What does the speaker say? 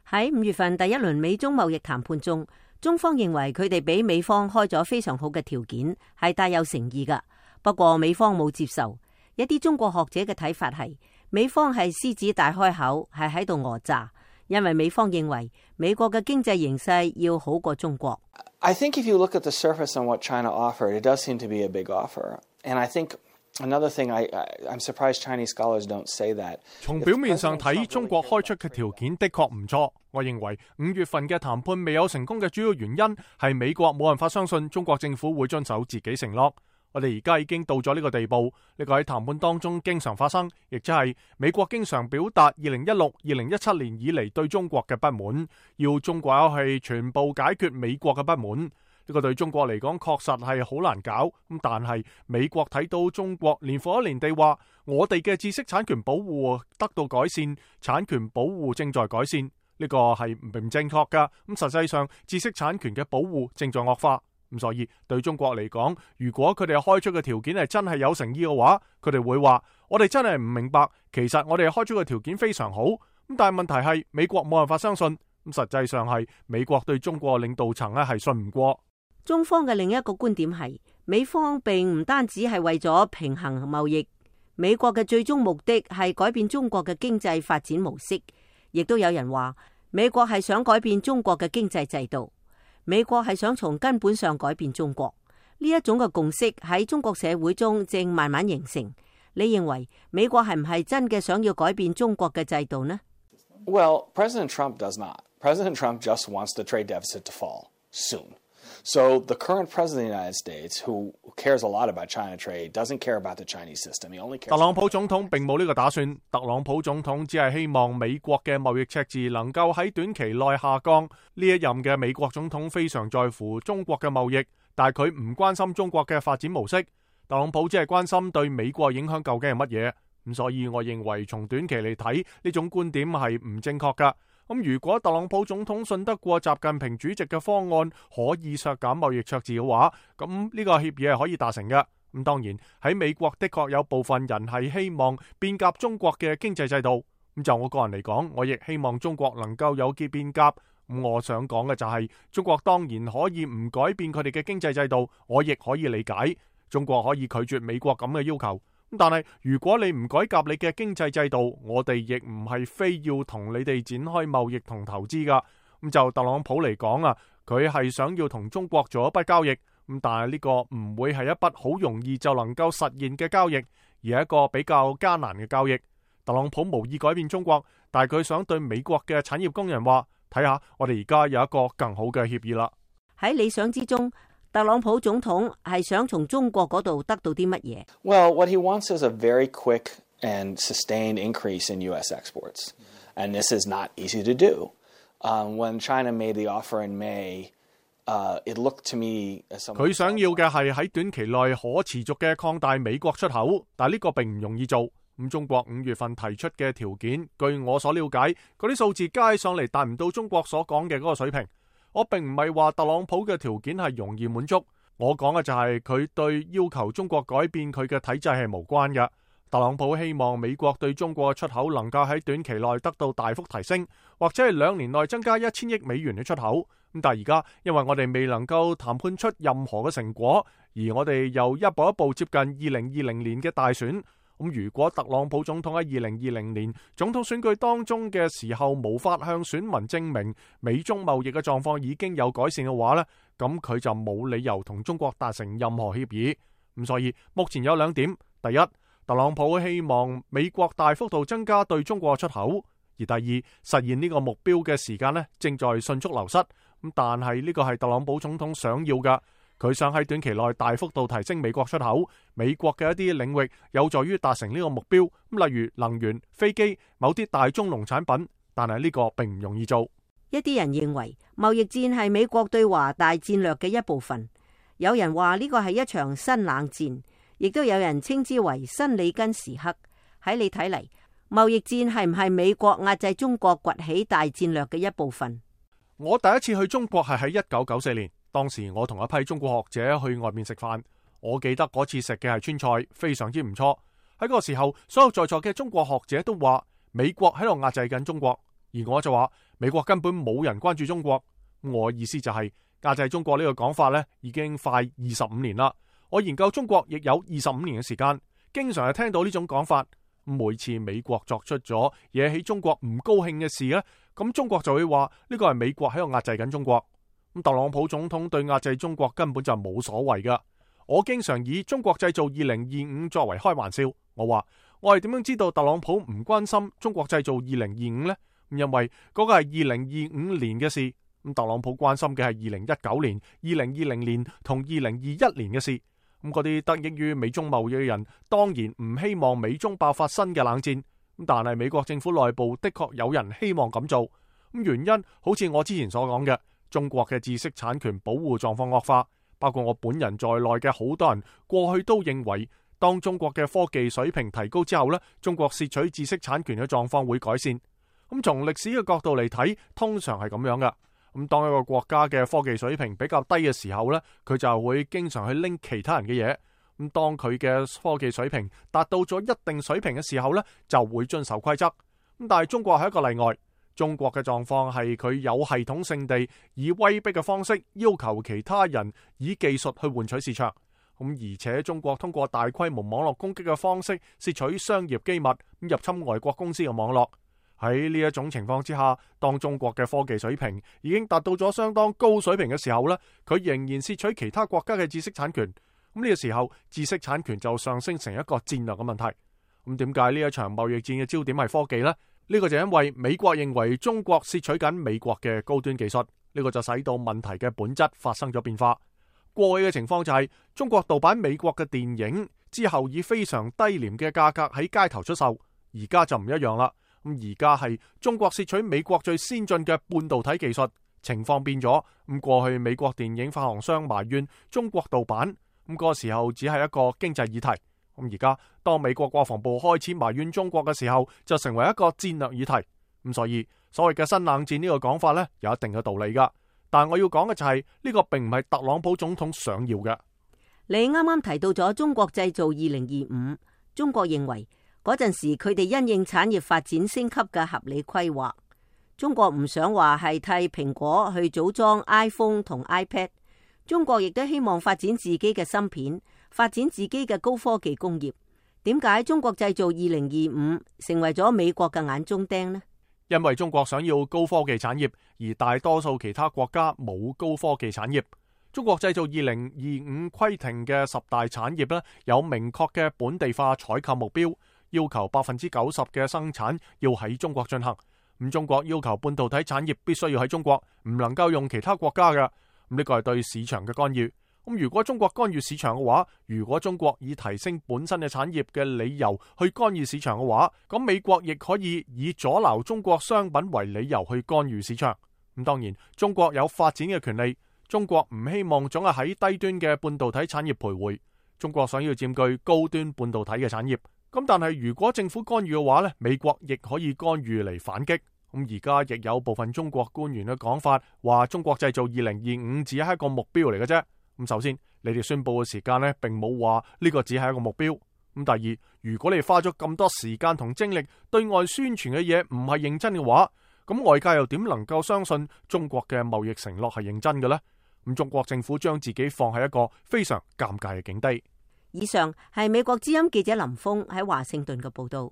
喺5月份第一輪美中貿易談判中，中方認為佢哋俾美方開咗非常好嘅條件，係帶有誠意㗎。不過美方冇接受。一啲中國學者嘅睇法係，美方係獅子大開口，係喺度訛詐，因為美方認為美國嘅經濟形勢要好過中國。I think if you look at the surface on what China offered, it does seem to be a big offer. And I think another thing, I'm surprised Chinese scholars don't say that. 從表面上睇，中國開出嘅條件的確唔錯。我認為5月份嘅談判未有成功嘅主要原因係美國冇辦法相信中國政府會遵守自己承諾。我哋而家已經到咗呢個地步，呢個喺談判當中經常發生，亦即係美國經常表達2016、2017年以嚟對中國嘅不滿，要中國係全部解決美國嘅不滿。呢個對中國嚟講確實係好難搞，咁但係美國睇到中國年復一年地話，我哋嘅知識產權保護得到改善，產權保護正在改善，呢個係唔正確噶。咁實際上知識產權嘅保護正在惡化。咁所以對中國嚟講，如果佢哋開出嘅條件係真係有誠意嘅話，佢哋會話我哋真係唔明白，其實我哋開出嘅條件非常好。咁但係問題係美國冇辦法相信，咁實際上係美國對中國領導層咧係信唔過。中方嘅另一個觀點係，美方並唔單止係為咗平衡貿易，美國嘅最終目的係改變中國嘅經濟發展模式。亦都有人話，美國係想改變中國嘅經濟制度。美國係想從根本上改變中國，呢一種嘅共識喺中國社會中正慢慢形成。你認為美國係唔係真嘅想要改變中國嘅制度呢？ Well, President Trump does not. President Trump just wants the trade deficit to fall soon. So the current president of the United States, who cares a lot about China trade, doesn't care about the Chinese system. He only cares. 特朗普總統並冇呢個打算。特朗普總統只係希望美國嘅貿易赤字能夠喺短期內下降。呢一任嘅美國總統非常在乎中國嘅貿易，但係佢唔關心中國嘅發展模式。特朗普只係關心對美國影響究竟係乜嘢。咁所以我認為從短期嚟睇，呢種觀點係唔正確㗎。咁如果特朗普總統信得過習近平主席嘅方案可以削減貿易赤字嘅話，咁呢個協議係可以達成嘅。咁當然喺美國的確有部分人係希望變革中國嘅經濟制度。咁就我個人嚟講，我亦希望中國能夠有機變革。咁我想講嘅就係，中國當然可以唔改變佢哋嘅經濟制度，我亦可以理解。中國可以拒絕美國咁嘅要求。但係如果你唔改革你嘅經濟制度，我哋亦唔係非要同你哋展開貿易同投資噶。咁就特朗普嚟講啊，佢係想要同中國做一筆交易。咁但係呢個唔會係一筆好容易就能夠實現嘅交易，而係一個比較艱難嘅交易。特朗普無意改變中國，但係佢想對美國嘅產業工人話，睇下我哋而家有一個更好嘅協議啦。喺理想之中，特朗普總統係想從中國嗰度得到啲乜嘢？ Well, what he wants is a very quick and sustained increase in U.S. exports. And this is not easy to do. When China made the offer in May, it looked to me as someone... 佢想要嘅係喺短期內可持續嘅擴大美國出口，但係呢個並唔容易做。咁中國5月份提出嘅條件，據我所了解，嗰啲數字加起上嚟達唔到中國所講嘅嗰個水平。我並唔係話特朗普嘅條件係容易滿足，我講嘅就係佢對要求中國改變佢嘅體制係無關嘅。特朗普希望美國對中國嘅出口能夠喺短期內得到大幅提升，或者係2年內增加1000億美元嘅出口。咁但係而家因為我哋未能夠談判出任何嘅成果，而我哋又一步一步接近2020年嘅大選。咁如果特朗普總統喺2020年總統選舉當中嘅時候無法向選民證明美中貿易嘅狀況已經有改善嘅話呢，咁佢就冇理由同中國達成任何協議。咁所以目前有2點：第一，特朗普希望美國大幅度增加對中國嘅出口；而第二，實現呢個目標嘅時間呢正在迅速流失。咁但係呢個係特朗普總統想要㗎。佢想喺短期內大幅度提升美國出口，美國嘅一啲領域有助於達成呢個目標，例如能源、飛機、某啲大宗農產品，但係呢個並唔容易做。一啲人認為貿易戰係美國對華大戰略嘅一部分，有人話呢個係一場新冷戰，亦都有人稱之為新里根時刻。喺你睇嚟，貿易戰係唔係美國壓制中國崛起大戰略嘅一部分？我第一次去中國係喺1994年。當時我同一批中國學者去外面食飯，我記得嗰次食嘅係川菜，非常之唔錯。喺嗰個時候，所有在座嘅中國學者都話美國喺度壓制緊中國。而我就話美國根本冇人關注中國。我意思就係壓制中國呢個講法呢已經快25年啦。我研究中國亦有25年嘅時間，經常係聽到呢種講法。每次美國作出咗惹起中國唔高興嘅事呢，咁中國就會話呢個係美國喺度壓制緊中國。咁特朗普總統對壓制中國根本就冇所謂噶。我經常以中國製造2025作為開玩笑。我話我係點樣知道特朗普唔關心中國製造2025呢？因為嗰個係2025年嘅事。咁特朗普關心嘅係2019年、2020年同2021年嘅事。咁嗰啲得益於美中貿易嘅人，當然唔希望美中爆發新嘅冷戰。咁但係美國政府內部的確有人希望咁做。咁原因好似我之前所講嘅，中國嘅知識產權保護狀況惡化，包括我本人在內嘅好多人過去都認為，當中國嘅科技水平提高之後呢，中國竊取知識產權嘅狀況會改善。咁從歷史嘅角度嚟睇，通常係咁樣噶。咁當一個國家嘅科技水平比較低嘅時候呢，佢就會經常去拎其他人嘅嘢。咁當佢嘅科技水平達到咗一定水平嘅時候呢，就會遵守規則。咁但係中國係一個例外。中國嘅狀況係佢有系統性地以威逼嘅方式要求其他人以技術去換取市場。咁而且中國通過大規模網絡攻擊嘅方式竊取商業機密，入侵外國公司嘅網絡。喺呢一種情況之下，當中國嘅科技水平已經達到咗相當高水平嘅時候呢，佢仍然竊取其他國家嘅知識產權。咁呢個時候，知識產權就上升成一個戰略嘅問題。咁點解呢一場貿易戰嘅焦點係科技呢？呢個就因為美國認為中國竊取緊美國嘅高端技術，呢個就使到問題嘅本質發生咗變化。過去嘅情況就係中國盜版美國嘅電影之後，以非常低廉嘅價格喺街頭出售。而家就唔一樣啦。咁而家係中國竊取美國最先進嘅半導體技術，情況變咗。咁過去美國電影發行商埋怨中國盜版，咁嗰個時候只係一個經濟議題。咁而家當美國國防部開始埋怨中國嘅時候，就成為一個戰略議題。咁所以所謂嘅新冷戰呢個講法呢，有一定嘅道理噶。但係我要講嘅就係呢個並唔係特朗普總統想要嘅。你啱啱提到咗中國製造2025，中國認為嗰陣時佢哋因應產業發展升級嘅合理規劃。中國唔想話係替蘋果去組裝 iPhone 同 iPad， 中國亦都希望發展自己嘅芯片，發展自己嘅高科技工業。點解中國製造2025成為咗美國嘅眼中釘呢？因為中國想要高科技產業，而大多數其他國家冇高科技產業。中國製造2025規定嘅10大產業呢，有明確嘅本地化採購目標，要求90%嘅生產要喺中國進行。咁中國要求半導體產業必須要喺中國，唔能夠用其他國家嘅。咁呢個係對市場嘅干預。咁如果中國干預市場嘅話，如果中國以提升本身嘅產業嘅理由去干預市場嘅話，咁美國亦可以以阻撓中國商品為理由去干預市場。咁當然，中國有發展嘅權利。中國唔希望總係喺低端嘅半導體產業徘徊。中國想要佔據高端半導體嘅產業。咁但係如果政府干預嘅話呢，美國亦可以干預嚟反擊。咁而家亦有部分中國官員嘅講法，話中國製造2025只係一個目標嚟嘅啫。咁首先，你哋宣佈嘅時間呢，並冇話呢個只係一個目標。咁第二，如果你花咗咁多時間同精力對外宣傳嘅嘢唔係認真嘅話，咁外界又點能夠相信中國嘅貿易承諾係認真嘅呢？咁中國政府將自己放喺一個非常尷尬嘅境地。以上係美國之音記者林峰喺華盛頓嘅報道。